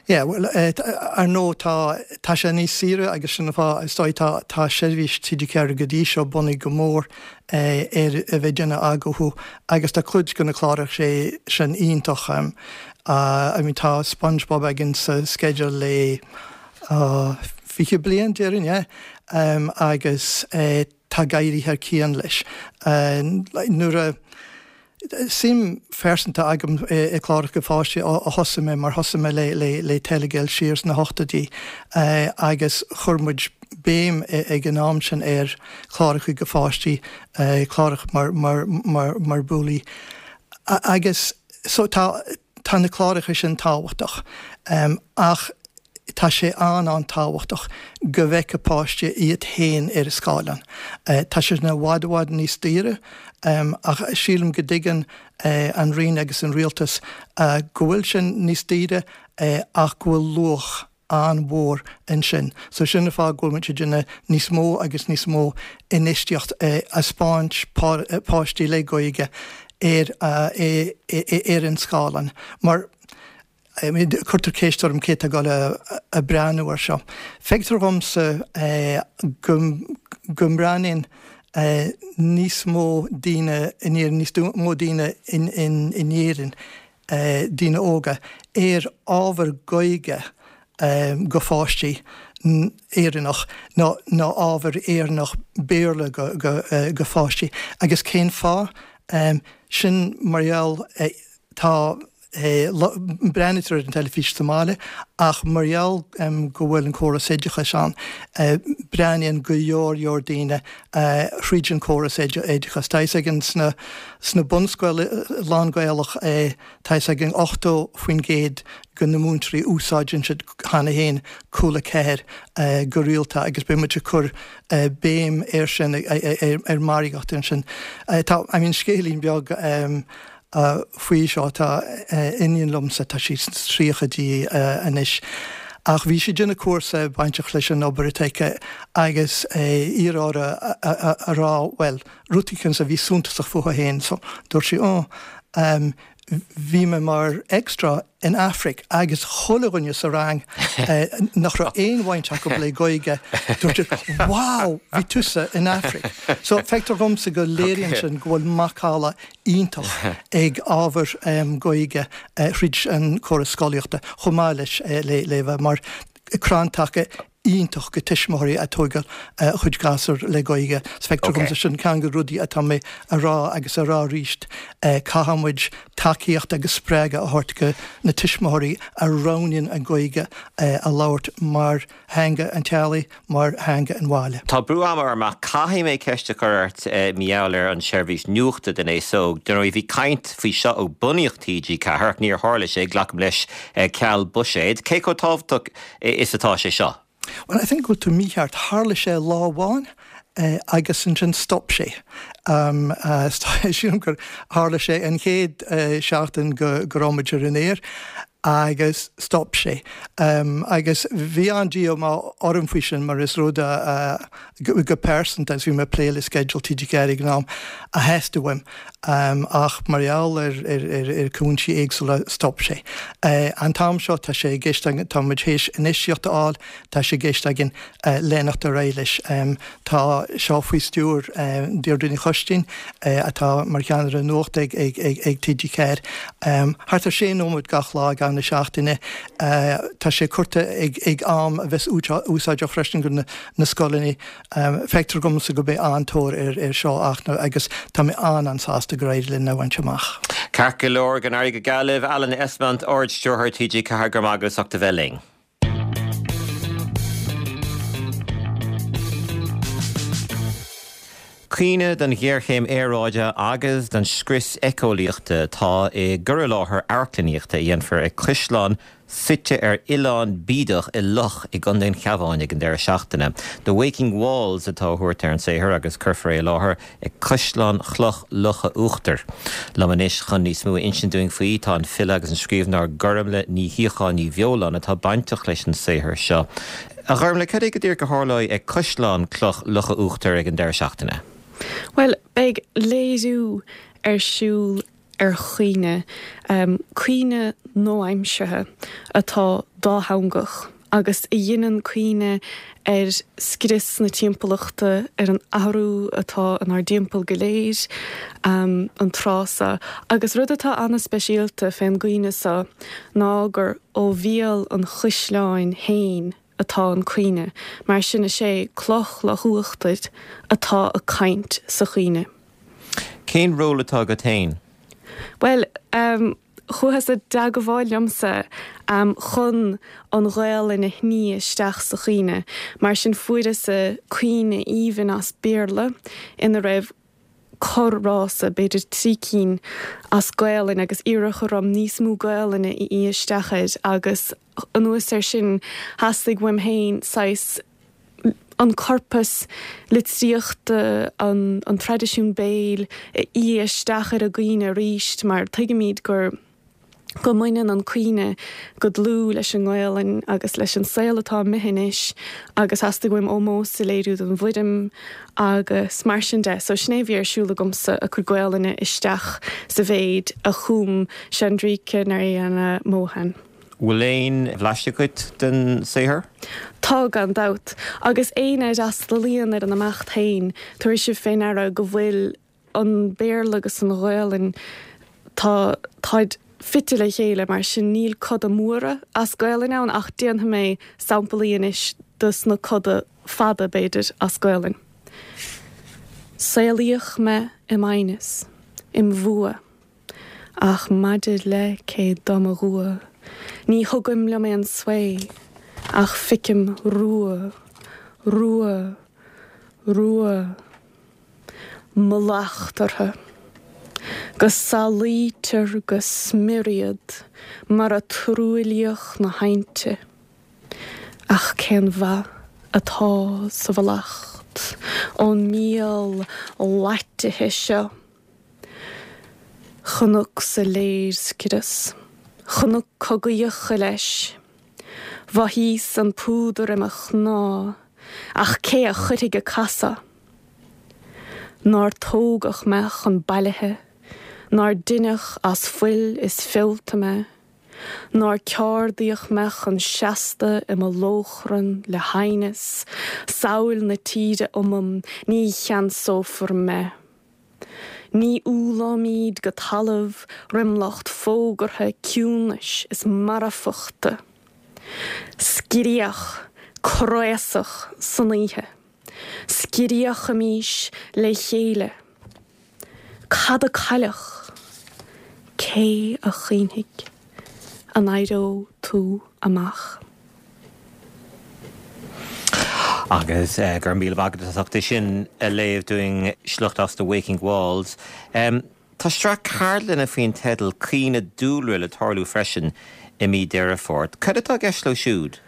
Yeah, bhuel, ar ndóigh, tá, tá sé níos saoire agus sin an fáth, is dóigh, tá, tá seirbhís TG4 go dtí seo bunaithe go mór ar a bheith ag déanamh athghuthú agus tá cuid de na cláracha sin iontach. I mean, tá SpongeBob againn sa sceideal le, 20 bliain, déarfainn, yeah. Agus tá ag éirí thar cionn leis. Nuair a. Suim phearsanta agam i gcláracha do pháistí ó thosaigh mé mar thosaigh mé le Telegael siar sna hochtóidí agus chuir muid béim ag an am sin ar chláracha do pháistí, cláracha mar Bouli agus so tá tá na cláracha sin tábhachtach ach tá sé an-an-tábhachtach go bhfeicfidh páiste iad féin ar an scáileán. Tá sé sin i bhfad i bhfad níos daoire ach sílim go dtuigeann an Roinn agus an Rialtas go bhfuil sin níos daoire ach go bhfuil luach an-mhór ansin. So sin an fáth go bhfuil muid ag déanamh níos mó agus níos mó infheistíocht i dtaispeáint páistí le Gaeilge ar ar an scáileán mar cuirtear ceist orm cé atá ag dul a breathnú ar seo. Feictear dhomsa go go mbreathnaíonn níos mó daoine in Éirinn, níos mó daoine in Éirinn daoine óga ar ábhar Gaeilge go pháistí Éireannach ná ná ábhar Éireannach Béarla go pháistí. Agus cén fáth? Sin mar gheall tá breathnaítear ar an teilifís sa mbaile ach mar gheall go bhfuil an córas oideachais ann, breathnaíonn go leor leor daoine thríd an córas oideachais. Tá fhios againn sna sna bunscoil lán-Ghaelach tá fhios againn 80% de na múinteoirí úsáideann siad cheana féin Cúla 4 go rialta agus beidh muid ag cur béim air sin ar margaíocht ansin. Tá I mean scéilín beag faoi seo, tá iníon liomsa, tá sí sna tríochaidí anois, ach bhí sí ag déanamh cúrsa bainteach leis an obair atá aici agus iarradh uirthi a rá bhuel, rud éicint a bhí suntasach fúithi féin so dúirt sí oh, bhí mé mar extra in Aifric agus chuile dhuine sa rang nach raibh aon bhaint acu le Gaeilge, dúirt siad wow, bhí tusa in Aifric. So feictear dhomsa go léiríonn sin go bhfuil macalla iontach ag ábhar Gaeilge thríd an córas scolaíochta chomh maith leis le le bheith mar crann taca iontach go tuismitheoirí ag tógáil a chuid gasúr le Gaeilge. So feictear dhomsa sin ceann de rudaí atá mé a rá agus a rá arís, caithfidh muid tacaíocht agus spreagadh a thabhairt go na tuismitheoirí a roghnaíonn an Ghaeilge a labhairt mar theanga an teaghlaigh, mar theanga an bhaile. Tá brú ama orm ach caithfidh mé ceist a chur ort mar gheall ar an tseirbhís nuachta don aos óg. Dar ndóigh bhí caint faoi seo ó bunaíodh TG4 ach níor tharla sé, glacaim leis, ceal buiséid. Cé chomh tábhachtach is atá sé seo? Well, I think go bhfuil tú mícheart. Tharla sé lá amháin agus ansin stop sé. Sílim gur tharla sé an chéad seachtain go raibh muid ar an aer agus stop sé. Agus bhí an-díomá orm faoi sin mar is rud go pearsanta, agus bhí mé ag plé le sceideal TG4 ag an am, a theastaigh uaim. Ach mar gheall ar chúinsí éagsúla stop sé. An t-am seo tá sé i gceist againn, tá muid théis infheistíocht a fháil, tá sé i gceist againn leanacht ar aghaidh leis. Tá seo faoi stiúir Deirdre Ní Choistín atá mar cheannaire nuachta ag TG4. Thart ar sé nóiméad gach lá i gcaitheamh na seachtaine. Tá sé curtha ag am a bheas úsáideach freisin do na scoileanna. Feictear dhomsa go mbeidh an-tóir air seo ach agus tá mé an-an-sásta gur éirigh linn é a bhaint amach. Ceart go leor, go n-éirí go geal libh. Alan Esslemont, Ard-Stiúrthóir TG4, go raibh maith agat as ucht a bheith linn. Caoineadh don ghéarchéim aeráide agus don scrios éiceolaíochta atá i gcur i láthair amharclannaíochta a dhéanfar ag Caisleán suite ar oileán bídeach i loch i gContae an Chabháin ag an deireadh seachtaine. The Waking Walls atá á thabhairt ar an saothar agus cuirfear é i láthair ag Caisleán Chloch Locha Uachtair. Liom anois chun níos mó a insint dúinn faoi tá an file agus an scríbhneoir Gormlaith Ní Shíocháin Ní Bheoláin atá bainteach leis an saothar seo. A Ghormlaith, cad é go díreach a tharlóidh ag Caisleán Cloch Locha Uachtair ag an deireadh seachtaine? Bhuel, beidh léiriú ar siúl ar chaoineadh, caoineadh nua-aimseartha atá dátheangach agus a dheineann caoineadh ar scrios na timpeallachta, ar an athrú atá inár dtimpeall go léir an tráth so. Agus rud atá ana-speisialta fén gcaoineadh so ná gur ó bhéal an chaisleáin féin atá an caoineadh, mar sin is é Cloch Loch Uachtair atá ag caint sa chaoineadh. Cén ról atá agat féin? Bhuel, chuathas i dteagmháil liomsa chun an Ghaelainn a shní isteach sa chaoineadh. Mar sin fuaireas caoineadh aoibhinn as Béarla ina raibh corrfhrása, b'fhéidir 3 cinn, as Gaelainn agus iarradh orm níos mó Gaelainne a fhí isteach air agus anuas air sin theastaigh uaim féin saghas an corpas litríochta, an traidisiún béil a fhí isteach ar an gcaoineadh arís mar tuigimid gur go mbaineann an caoineadh go dlúth leis an nGaelainn agus leis an saol atá amuigh anois agus theastaigh uaim ómós a léiriú don bhfoirm agus mar sin de. So sin é a bhí ar siúl agamsa, ag cur Gaelainne isteach sa mhéid a chum Chandrika Narayana Mohan. Bhfuil aon bhlaiseadh agat den saothar? Tá, gan dabht. Agus éinne a fhreastalaíonn ar an imeacht féin, tabharfaidh sibh fé ndeara go bhfuil an Béarla agus an Ghaelainn, tá, táid fite le chéile, mar sin níl coda móra as Gaelainn ann ach déanfaidh mé samplaí anois dos na coda fada, b'fhéidir, as Gaelainn. Saolaíodh mé i m'aighneas, im bhfuath. Ach maidir le cé do mo dhua, ní thugaim liom aon svae, ach ficim rua, rua, rua. Mallacht orthu. Go salaítear go smior iad mar a truaillíodh na hainte. Ach cén mhaith atá sa mhallacht ón míol laitithe seo? Chonacsa léirscrios, chonac cogaíocha leis. Mhothaíos an púdar i mo chnámh, ach cé a chuirfidh ag casadh? Nár tógadh mé chun bailithe, nár deineadh as fuil is feolta mé, nár ceardaíodh mé chun seasta i mo lóchrann le haighneas, samhail na tíre umam, ní cheansófar mé. Ní umhlóimid go talamh roim lucht fógartha ciúnais is marfachta. Scréach craosach san oíche. Scréachaimis le chéile. Cad a cailleadh? Cé a chaoinfidh? An éireoidh tú amach? Agus go raibh míle maith agat as ucht é sin a léamh dúinn, sliocht as The Waking Walls. Tá sraith ceardlanna faoin teideal 'Caoineadh Dúlra' le tarlú freisin i mí Deireadh Fómhair. Cad atá i gceist leo siúd?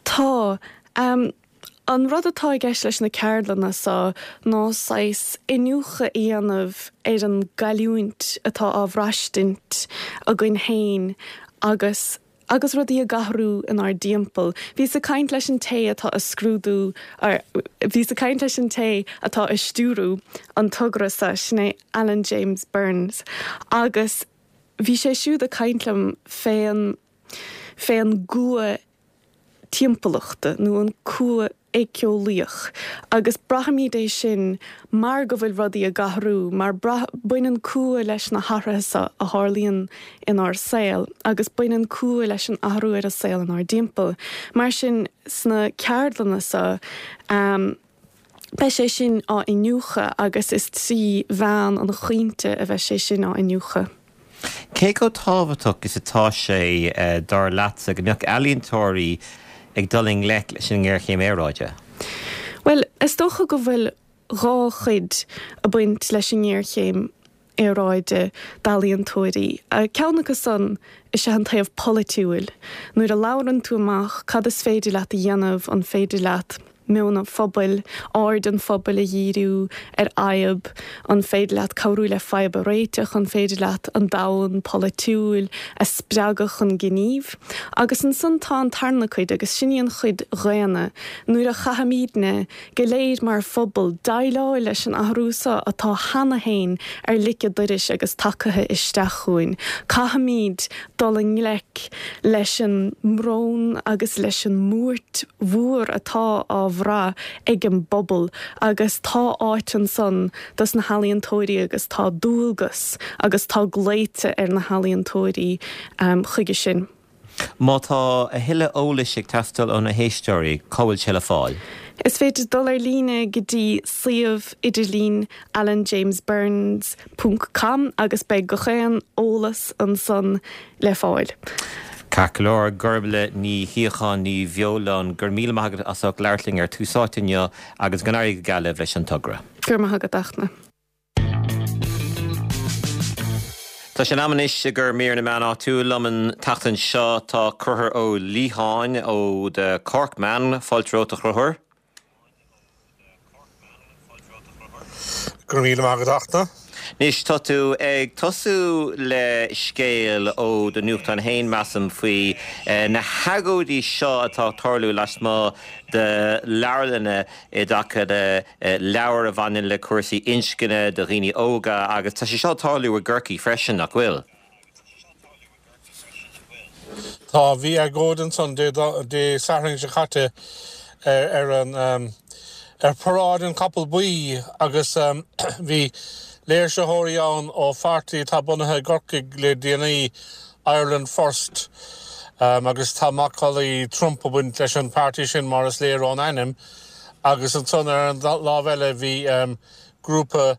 Tá. An rud atá i gceist leis na ceardlanna so ná saghas iniúchadh a dhéanamh ar an gcailliúint atá á bhraistint againn féin agus agus rudaí ag athrú inár dtimpeall. Bhíos ag caint leis an té atá ag scrúdú, bhíos ag caint leis an té atá ag stiúrú an togra so, sin é Alan James Burns, agus bhí sé siúd ag caint liom fén, fén gcumha timpeallachta nó an cumha éiceolaíoch agus braithimid é sin mar go bhfuil rudaí ag athrú, mar baineann cumha leis na hathruithe seo a tharlaíonn inár saol agus baineann cumha leis an athrú ar an saol inár dtimpeall. Mar sin, sna ceardlanna seo, Beidh sé sin á iniúchadh agus is trí mheán an chaointe a bheidh sé sin á iniúchadh. Cé chomh tábhachtach is atá sé, dar leatsa, go mbeadh ealaíontóirí ag dul i ngleic leis an ngéarchéim aeráide? Bhuel, is dócha go bhfuil dhá chuid ag baint leis an ngéarchéim aeráide d'ealaíontóirí. Ceann acu san is ea an taobh polaitiúil. Nuair a labhrann tú amach, cad is féidir leat a dhéanamh, an féidir leat meon an phobail, aird an phobail a dhíriú ar fhadhb, an féidir leat cabhrú le fadhb a réiteach, an féidir leat an domhan polaitiúil a spreagadh chun gnímh. Agus ansan tá an tarna cuid, agus sin í an chuid dhaonna, nuair a chaithfimídne go léir mar phobal, déileáil leis an athrú seo atá cheana féin ar lic an doiris agus tagtha isteach chugainn. Caithfimid dul i ngleic leis an mbrón agus leis an mbuairt mhór atá á bhrath ag an bpobal agus tá áit ansan dos na healaíontóirí agus tá dualgas agus tá glaoite ar na healaíontóirí chuige sin. Má tá a thuilleadh eolais ag teastáil ó na héisteoirí, cá bhfuil sé le fáil? Is féidir dul ar líne go dtí suíomh idirlín alanjamesburns ponc com agus beidh gach aon eolas ansan le fáil. Ceart go leor, Gormlaith Ní Shíocháin Ní Bheoláin, go raibh míle maith agat as ucht labhairt linn ar Tús Áite inniu agus go n-éirí go geal libh leis an togra. Go raibh maith agat, a Fhachtna. Tá sé in am anois i gcomhair mír na meán áitiúil. Liom an tseachtain seo tá Conchúr Ó Liatháin ó The Cork Man. Fáilte romhat a Chonchúir. Go raibh míle maith agat a Fhachtna. Anois tá tú ag tosú le scéal ó do nuachtán féin, measaim, faoi na hagóidí seo atá ag tarlú lasmuigh de leabharlanna i dtaca le leabhair a bhaineann le cúrsaí inscne do dhaoine óga agus tá sé seo ag tarlú i gCorcaigh freisin, nach bhfuil? Tá, bhí agóid ansan Dé Sathairn seo caite ar an ar Paráid an Chapall Buí agus bhí léirsitheoirí ann ó pháirtí atá bunaithe i gCorcaigh le déanaí, Ireland First, agus tá macallaí Trump ag baint leis an pháirtí sin mar is léir ón ainm. Agus ansan ar an lámh eile bhí grúpa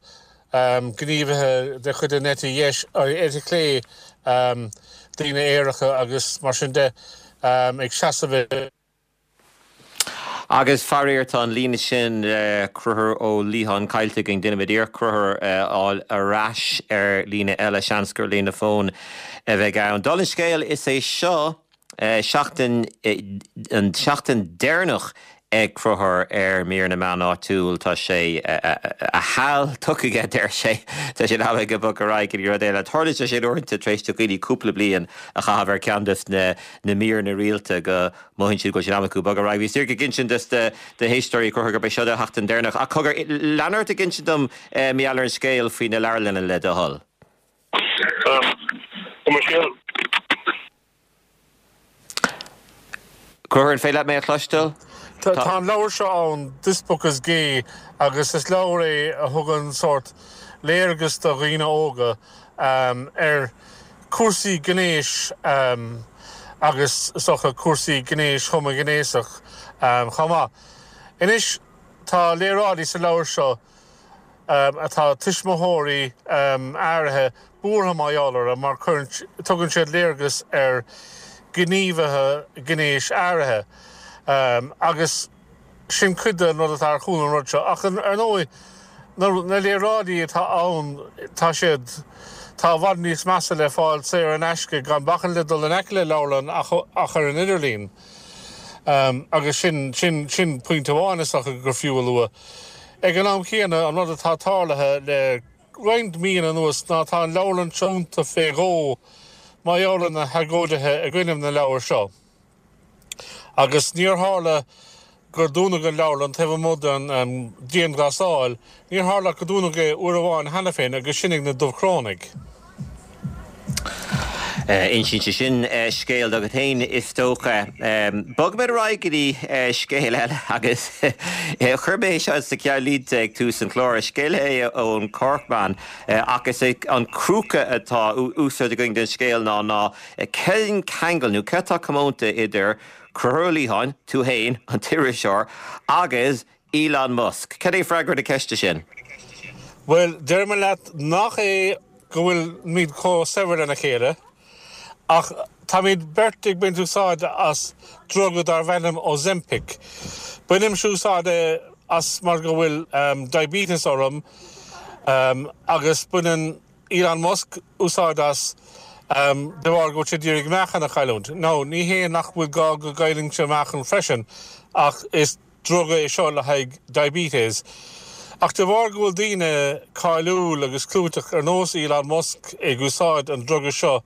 gníomhaithe de chuid an eite dheis, eite chlé, daoine aeracha agus mar sin de, ag seasamh i. Agus faraor tá an líne sin le Conchúr Ó Liatháin caillte againn. Déanfaimid iarracht Conchúr a fháil ar ais ar líne eile, seans gur líne fóin a bheidh ann. Dála an scéil, is é seo seachtain, an tseachtain deireanach ag Conchúr ar Mír na Meán Áitiúil. Tá sé, a sheal tugtha aige, deir sé. Tá sé in am aige bogadh ar aghaidh go dtí rud eile. Tarlaíonn sé sin uaireanta tar éis do dhaoine cúpla bliain a chaitheamh ar ceann des na míreanna rialta go mothaíonn siad go bhfuil sé in am acu bogadh ar aghaidh. Bhíos díreach ag insint dos na héisteoirí, a Chonchúir, gurb é seo do sheachtain deireanach. Ach cogar, lean ort ag insint dom, mar gheall ar an scéal faoi na leabharlanna le do thoil. Tá mo scéal. Conchúr, an féidir leat mé a chloisteáil? Tá an leabhar seo ann, This Book is Gay, agus is leabhar é a thugann sórt léargas do dhaoine óga ar chúrsaí gnéis agus is dócha cúrsaí gnéis homaighnéasach chomh maith. Anois, tá léaráidí sa leabhar seo atá tuismitheoirí áirithe buartha mar gheall orthu mar cuireann, tugann siad léargas ar ghníomhaithe gnéis áirithe agus sin cuid den rud atá ar chúl an rud seo. Ach ar ndóigh, na léaráidí atá ann, tá siad, tá i bhfad níos measa le fáil saor in aisce gan bacaint le dul in aice le leabharlann ach ar an idirlíon. Agus sin, sin, sin pointe amháin is dócha gur fiú a lua. Ag an am chéanna, an rud atá tarlaithe le roinnt míonna anuas ná tá an leabharlann seo dúnta fé dhó mar gheall ar na hagóidithe i gcoinne na leabhar seo. Agus níor tharla gur dúnadh an leabharlann taobh amuigh den dianghlasáil, níor tharla ach go dúnadh é uair amháin cheana féin agus sin ag na Dubhchrónaigh. Insíonn sé sin scéal agat féin, is dócha. Bogfaimid ar aghaidh go dtí scéal eile agus chuir mé é seo sna ceannlínte ag tús an chláir. Scéal é ón Corkman ach is é an crúca atá úsáidte againn den scéal ná ná cén ceangal nó céard atá comónta idir Conchúr Ó Liatháin, tú féin, an t-iriseoir, agus Elon Musk? Cad é freagra na ceiste sin? Bhuel, déarfaidh mé leat nach é go bhfuilimid chomh saibhir lena chéile, ach táimid beirt ag baint úsáide as druga darb ainm Ozempic. Bainimse úsáid as mar go bhfuil diabetes orm agus baineann Elon Musk úsáid as de bharr go bhfuil sé ag iarraidh meáchan a chailliúint. Now, ní hé nach bhfuil gá go gcaillfinnse meáchan freisin, ach is druga é seo le haghaidh diabetes. Ach de bharr go bhfuil daoine cáiliúil agus clúiteach ar nós Elon Musk ag úsáid an druga seo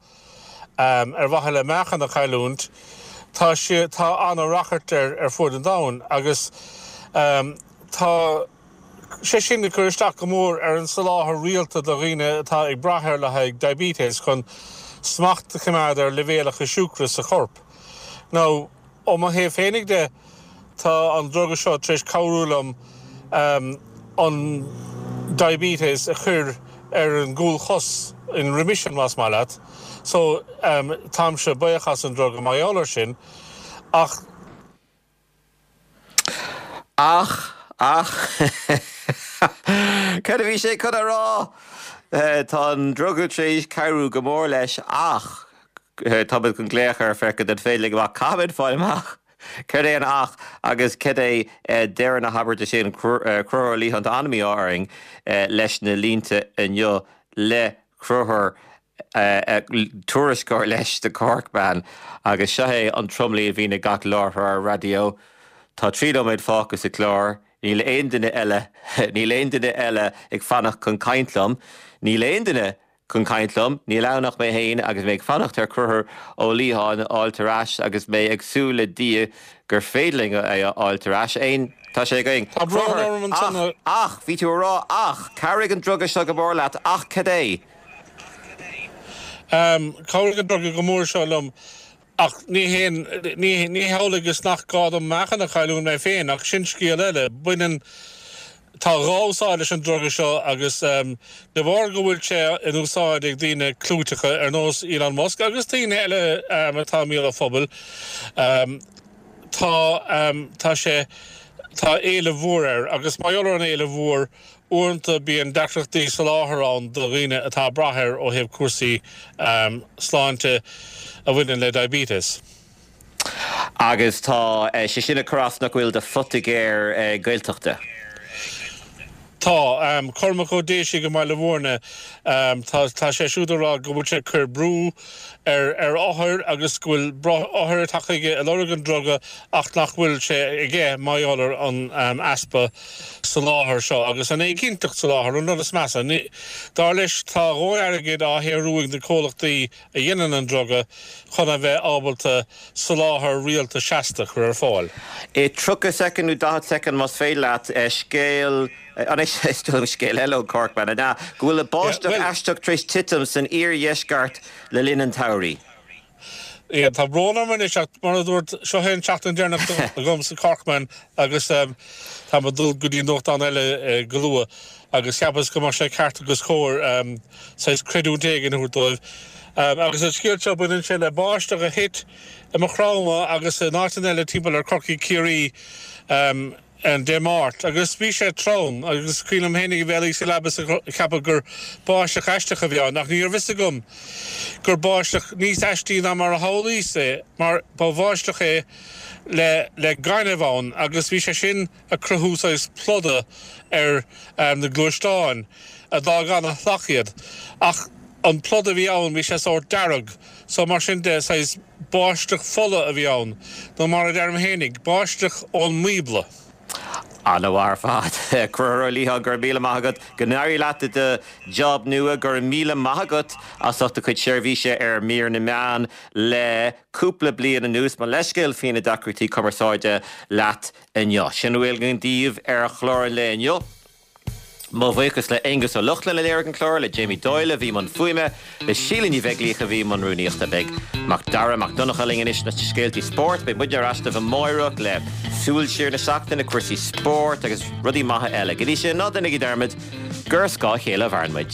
ar mhaithe le meáchan a chailliúint, tá sé, tá an-rachairt air ar fuaid an domhain agus tá sé sin ag cur isteach go mór ar an soláthar rialta do dhaoine atá ag brath air le haghaidh diabetes chun smacht a choimeád ar leibhéalacha siúcra sa chorp. Now, Ó mo thaobh féinig de, tá an druga seo tar éis cabhrú liom an diabetes a chur ar an gcúlchos, in remission más maith leat. So, táimse buíoch as an druga mar gheall air sin. Ach. Ach, ach, cad a bhí sé chun a rá? Tá an druga tar éis cabhrú go mór leis ach táimid chun glaoch air féachaint an féidir linn amach. Caithfimid fáil amach céard é an ach agus cad é deireadh na habairte sin. Conchúr Ó Liatháin, tá an-mhí-ádh orainn leis na línte inniu le Conchúr tuairisceoir leis The Corkman agus seo é an tromluí a bhíonn ag gach láithreoir raidió. Tá 3 nóiméad fágtha sa chlár, níl aon duine eile, níl aon duine eile ag fanacht chun caint liom, níl aon duine chun caint liom, níl ann ach mé féin agus mé ag fanacht ar Chonchúr Ó Liatháin a fháilt ar ais agus mé ag súil le Dia gur féidir linn é a fháilt ar ais. Aon, tá sé againn. Tá brón orm ansan a. Ach, ach, bhí tú a rá ach, chabhraigh an druga seo go mór leat, ach cad é? Chabhraigh an druga go mór seo liom ach ní haon, ní hamhlaidh is nach gá dom meáchan a chailliúint mé féin ach sin scéal eile. Baineann, tá dhá úsáid leis an druga seo agus de bharr go bhfuil sé in úsáid ag daoine clúiteacha ar nós Elon Musk agus daoine eile atá i mbéal an phobail, tá, tá sé, tá éileamh mhór air agus mar gheall ar an éileamh mhór, Uaireanta bíonn deacrachtaí soláthair ann do dhaoine atá ag brath air ó thaobh cúrsaí sláinte a bhaineann le diabetes. Agus tá sé sin ag cur as nach bhfuil do phoitigéir Gaeltachta. Tá. Cormac Ó Déisigh i mBaile Mhúirne, tá sé siúd ag rá go bhfuil sé ag cur brú ar ar othair agus go bhfuil othair ag teacht chuige ag lorg an druga ach nach bhfuil sé aige mar gheall ar an easpa soláthair seo agus an éiginnteacht soláthair an rud is measa. Dar leis tá a dhóthain airgid á shaothrú ag na comhlachtaí a dhéanann an druga chun a bheith ábalta soláthar rialta seasta a chur ar fáil. I 30 soicind nó 40 soicind más féidir leat, scéal, anois is dóigh liom scéal eile ón Corkman, an ea? Go bhfuil báisteach aisteach tar éis titim san iardheisceart le linn an tsamhraidh. Yeah, tá brón orm anois ach mar a dúirt, seo é an tseachtain deireanach agam sa Corkman agus táim ag dul go dtí nuachtán eile go luath agus cheapas go mbeadh sé ceart agus cóir saghas creidiúint éigin a thabhairt dóibh. Agus an scéal seo, baineann sé le báisteach a thit i Maigh Chromtha agus in áiteanna eile timpeall ar Corcaigh Ciarraí. Dé Máirt agus bhí sé trom agus is cuimhin liom fhéinig a bheith ag luí sa leaba is ag ceapadh gur báisteach aisteach a bhí ann ach ní raibh fhios agam gur báisteach níos aistí ná mar a shamhlaíos é mar ba bháisteach é le le gaineamh ann agus bhí sé sin ag cruthú saghas pluda ar na gluaisteáin a d'fhág ana-shlach iad ach an pluda a bhí ann bhí sé sórt dearg so mar sin de saghas Báisteach fola a bhí ann, nó mar a deirim fhéinig, báisteach ón mBíobla. Ana-mhaith ar fad. Conchúr Ó Liatháin, go raibh míle maith agat. Go n-éirí leat i do job nua. Go raibh míle maith agat as ucht do chuid seirbhíse ar Mír na Meán le cúpla bliain anuas. Mo leithscéal faoi na deacrachtaí cumarsáide leat inniu. Sin a bhfuil againn daoibh ar chlár an lae inniu. Mo bhuíochas le Aonghus Ó Lochlainn a léirigh an clár, le Jamie Doyle a bhí i mbun fuaime, le Síle Ní Bheaglaoich a bhí i mbun rúnaíochta. Beidh Mac Dara Mac Donncha linn anois leis na scéaltaí spóirt. Beidh muidne ar ais libh amáireach le súil siar na seachtaine, cúrsaí spóirt agus rudaí maithe eile. Go dtí sin, ná déanaigí dearmad gur ar scáth a chéile a mhaireann muid.